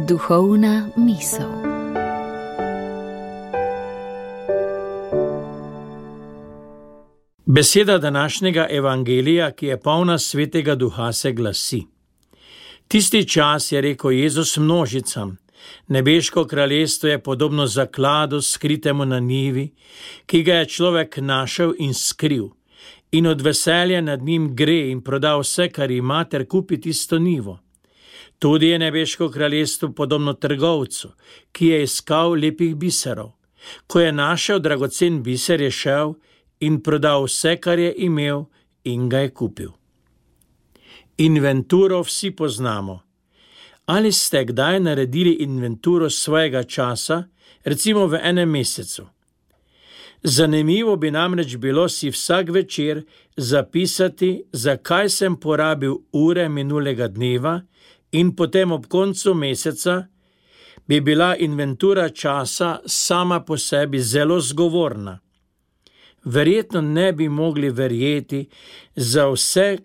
Duhovna misel. Beseda današnjega evangelija, ki je polna Svetega Duha, se glasi: Tisti čas je rekel Jezus množicam: Nebeško kraljestvo je podobno zakladu skritemu na njivi, ki ga je človek našel in skril, in od veselja nad njim gre in proda vse, kar ima, ter kupi tisto njivo. Tudi je nebeško kraljestvo podobno trgovcu, ki je iskal lepih biserov. Ko je našel dragocen biser, je šel in prodal vse, kar je imel, in ga je kupil. Inventuro vsi poznamo. Ali ste kdaj naredili inventuro svojega časa, recimo v enem mesecu? Zanimivo bi namreč bilo si vsak večer zapisati, zakaj sem porabil ure minulega dneva, in potem ob koncu meseca bi bila inventura časa sama po sebi zelo zgovorna. Verjetno ne bi mogli verjeti za vse,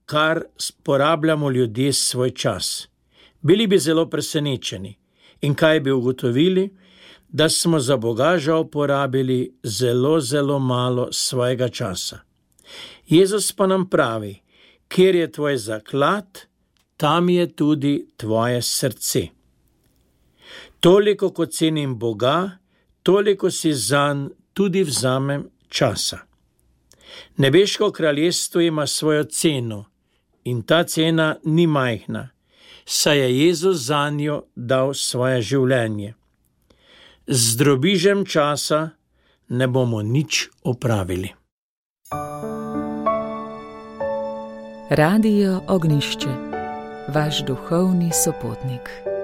kar porabljamo ljudje svoj čas. Bili bi zelo presenečeni. In kaj bi ugotovili? Da smo za Boga žal porabili zelo malo svojega časa. Jezus pa nam pravi: kjer je tvoj zaklad, tam je tudi tvoje srce. Toliko, kot cenim Boga, toliko si zanj tudi vzamem časa. Nebeško kraljestvo ima svojo ceno in ta cena ni majhna, saj je Jezus zanjo dal svoje življenje. Z drobižem časa ne bomo nič opravili. Radio Ognjišče, vaš duhovni sopotnik.